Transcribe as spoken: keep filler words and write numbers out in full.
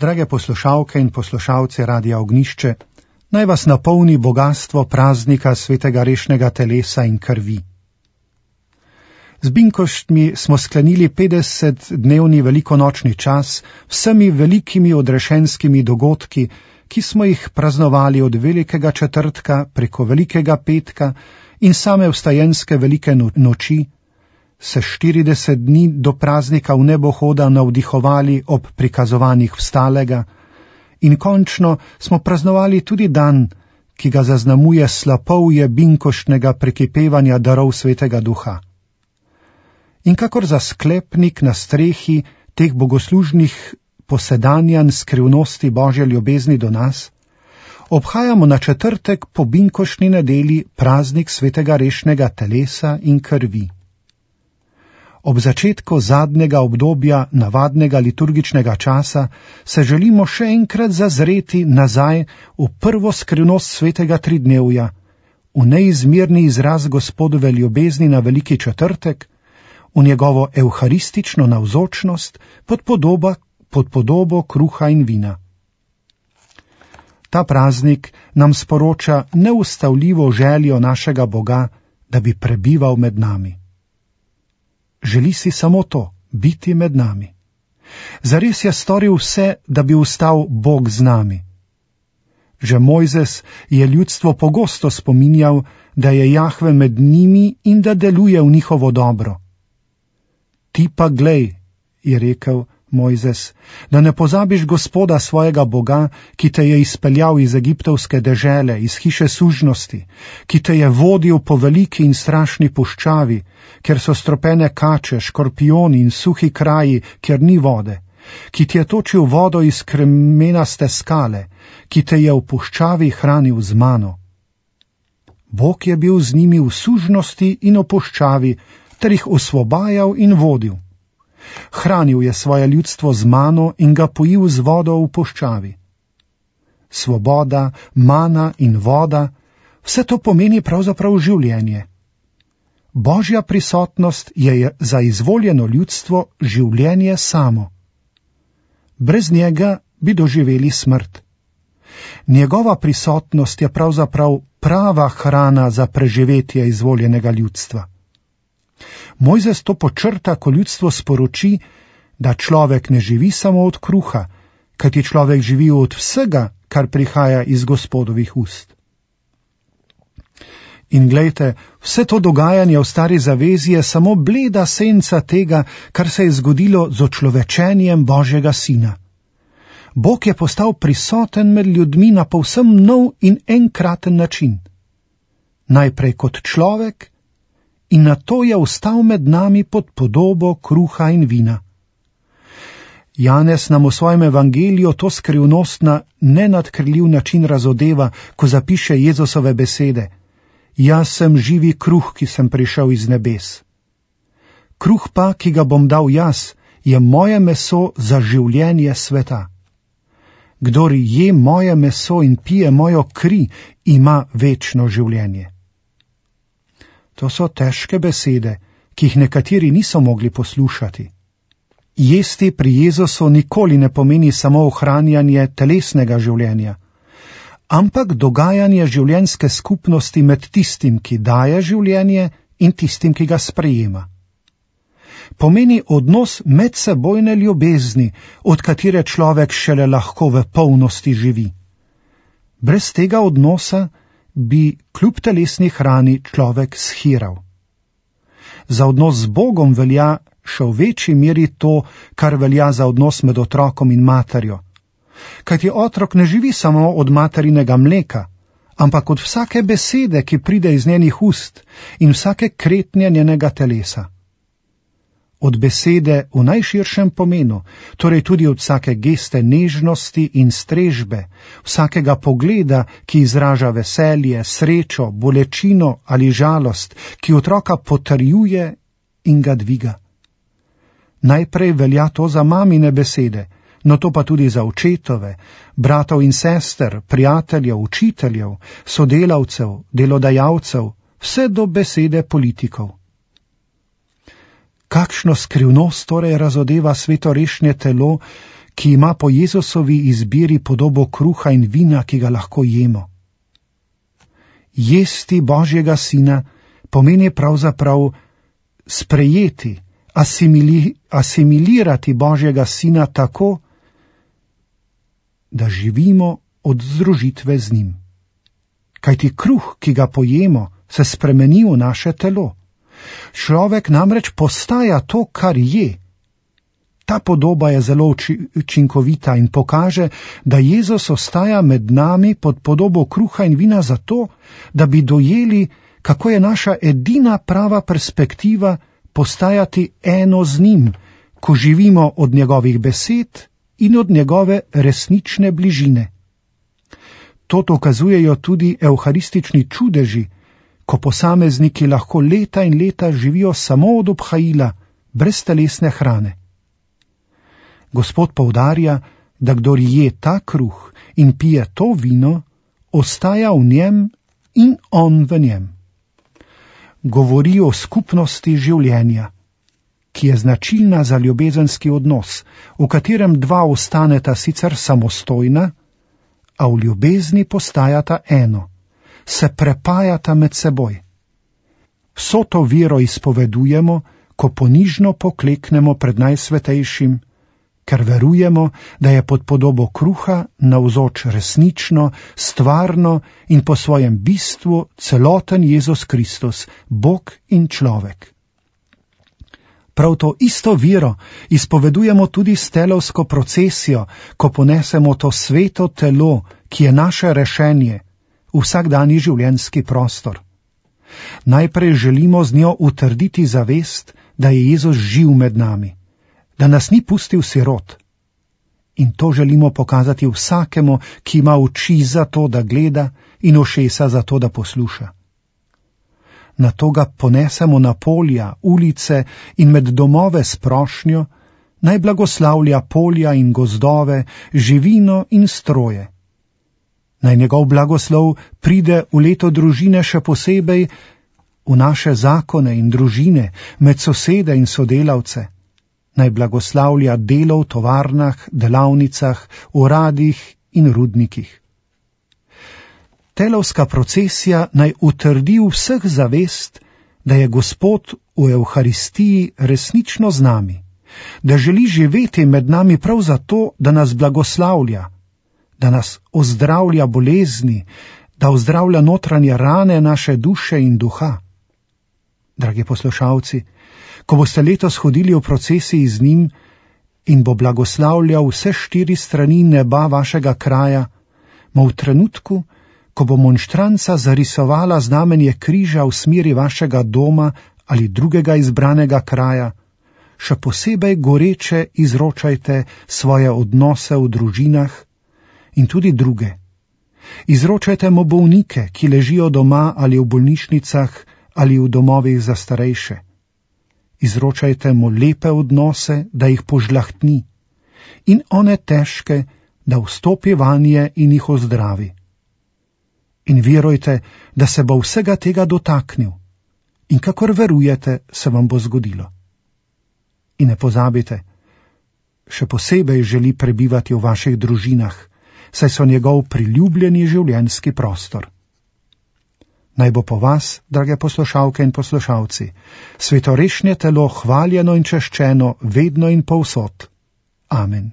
Drage poslušalke in poslušalci Radia Ognjišče, naj vas napolni bogastvo praznika svetega rešnega telesa in krvi. Z binkoštmi smo sklenili petdesetdnevni velikonočni čas vsemi velikimi odrešenskimi dogodki, ki smo jih praznovali od velikega četrtka preko velikega petka in same vstajenske velike noči, se štirideset dni do praznika v nebohoda navdihovali ob prikazovanjih vstalega in končno smo praznovali tudi dan, ki ga zaznamuje slapovje binkoštnega prekipevanja darov svetega duha. In kakor za sklepnik na strehi teh bogoslužnih posedanjanj skrivnosti Božje ljubezni do nas, obhajamo na četrtek po binkoštni nedeli praznik svetega rešnega telesa in krvi. Ob začetku zadnjega obdobja navadnega liturgičnega časa se želimo še enkrat zazreti nazaj v prvo skrivnost svetega tridnevja, v neizmerni izraz Gospodove ljubezni na veliki četrtek, v njegovo evharistično navzočnost pod, podoba, pod podobo kruha in vina. Ta praznik nam sporoča neustavljivo željo našega Boga, da bi prebival med nami. Želi si samo to, biti med nami. Zares je storil vse, da bi ostal Bog z nami. Že Mojzes je ljudstvo pogosto spominjal, da je Jahve med njimi in da deluje v njihovo dobro. Ti pa glej, je rekel Mojzes, da ne pozabiš Gospoda svojega Boga, ki te je izpeljal iz egiptovske dežele, iz hiše sužnosti, ki te je vodil po veliki in strašni puščavi, kjer so stropene kače, škorpioni in suhi kraji, kjer ni vode, ki ti je točil vodo iz kremenaste skale, ki te je v puščavi hranil z mano. Bog je bil z njimi v sužnosti in v puščavi, ter jih osvobajal in vodil. Hranil je svoje ljudstvo z mano in ga pojil z vodo v puščavi. Svoboda, mana in voda, vse to pomeni pravzaprav življenje. Božja prisotnost je za izvoljeno ljudstvo življenje samo. Brez njega bi doživeli smrt. Njegova prisotnost je pravzaprav prava hrana za preživetje izvoljenega ljudstva. Mojzes to počrta, ko ljudstvo sporoči, da človek ne živi samo od kruha, kajti človek živi od vsega, kar prihaja iz Gospodovih ust. In glejte, vse to dogajanje v stari zavezi je samo bleda senca tega, kar se je zgodilo z očlovečenjem Božjega sina. Bog je postal prisoten med ljudmi na povsem nov in enkraten način. Najprej kot človek, in nato je ostal med nami pod podobo kruha in vina. Janez nam v svojem evangeliju to skrivnost na nenadkrljiv način razodeva, ko zapiše Jezusove besede: Jaz sem živi kruh, ki sem prišel iz nebes. Kruh pa, ki ga bom dal jaz, je moje meso za življenje sveta. Kdor je moje meso in pije mojo kri, ima večno življenje. To so težke besede, ki jih nekateri niso mogli poslušati. Jesti pri Jezusu nikoli ne pomeni samo ohranjanje telesnega življenja, ampak dogajanje življenjske skupnosti med tistim, ki daje življenje, in tistim, ki ga sprejema. Pomeni odnos medsebojne ljubezni, od katere človek šele lahko v polnosti živi. Brez tega odnosa bi kljub telesni hrani človek shiral. Za odnos z Bogom velja še v večji meri to, kar velja za odnos med otrokom in materjo. Kajti otrok ne živi samo od materinega mleka, ampak od vsake besede, ki pride iz njenih ust, in vsake kretnje njenega telesa. Od besede v najširšem pomenu, torej tudi od vsake geste nežnosti in strežbe, vsakega pogleda, ki izraža veselje, srečo, bolečino ali žalost, ki otroka potrjuje in ga dviga. Najprej velja to za mamine besede, no to pa tudi za očetove, bratov in sester, prijateljev, učiteljev, sodelavcev, delodajalcev, vse do besede politikov. Kakšno skrivnost torej razodeva svetorešne telo, ki ima po Jezusovi izbiri podobo kruha in vina, ki ga lahko jemo. Jesti Božjega sina pomeni pravzaprav sprejeti, asimili, asimilirati Božjega sina tako, da živimo od združitve z njim. Kajti kruh, ki ga pojemo, se spremeni v naše telo. Človek namreč postaja to, kar je. Ta podoba je zelo učinkovita in pokaže, da Jezus ostaja med nami pod podobo kruha in vina zato, da bi dojeli, kako je naša edina prava perspektiva postajati eno z njim, ko živimo od njegovih besed in od njegove resnične bližine. To dokazujejo tudi evharistični čudeži, ko posamezniki lahko leta in leta živijo samo od obhajila, brez telesne hrane. Gospod poudarja, da kdor je ta kruh in pije to vino, ostaja v njem in on v njem. Govori o skupnosti življenja, ki je značilna za ljubezenski odnos, v katerem dva ostaneta sicer samostojna, a v ljubezni postajata eno, se prepajata med seboj. Vso to vero izpovedujemo, ko ponižno pokleknemo pred najsvetejšim, ker verujemo, da je pod podobo kruha navzoč resnično, stvarno in po svojem bistvu celoten Jezus Kristus, Bog in človek. Prav to isto vero izpovedujemo tudi s telovsko procesijo, ko ponesemo to sveto telo, ki je naše rešenje, v vsakdanji življenjski prostor. Najprej želimo z njo utrditi zavest, da je Jezus živ med nami, da nas ni pustil sirot. In to želimo pokazati vsakemu, ki ima oči za to, da gleda, in ušesa za to, da posluša. Nato ga ponesemo na polja, ulice in med domove s prošnjo, naj blagoslavlja polja in gozdove, živino in stroje. Naj njegov blagoslov pride v leto družine še posebej v naše zakone in družine, med sosede in sodelavce. Naj blagoslavlja delo v tovarnah, delavnicah, uradih in rudnikih. Telovska procesija naj utrdi v vseh zavest, da je Gospod v Evharistiji resnično z nami, da želi živeti med nami prav zato, da nas blagoslavlja, da nas ozdravlja bolezni, da ozdravlja notranje rane naše duše in duha. Dragi poslušalci, ko boste letos hodili v procesiji z njim in bo blagoslavljal vse štiri strani neba vašega kraja, mo v trenutku, ko bo monštranca zarisovala znamenje križa v smeri vašega doma ali drugega izbranega kraja, še posebej goreče izročajte svoje odnose v družinah in tudi druge. Izročajte mu bolnike, ki ležijo doma ali v bolnišnicah ali v domovih za starejše. Izročajte mu lepe odnose, da jih požlahtni, in one težke, da vstopi vanje in jih ozdravi. In verujte, da se bo vsega tega dotaknil, in kakor verujete, se vam bo zgodilo. In ne pozabite, še posebej želi prebivati v vaših družinah, saj so njegov priljubljeni življenjski prostor. Naj bo po vas, drage poslušalke in poslušalci, svetorešnje telo hvaljeno in češčeno vedno in povsod. Amen.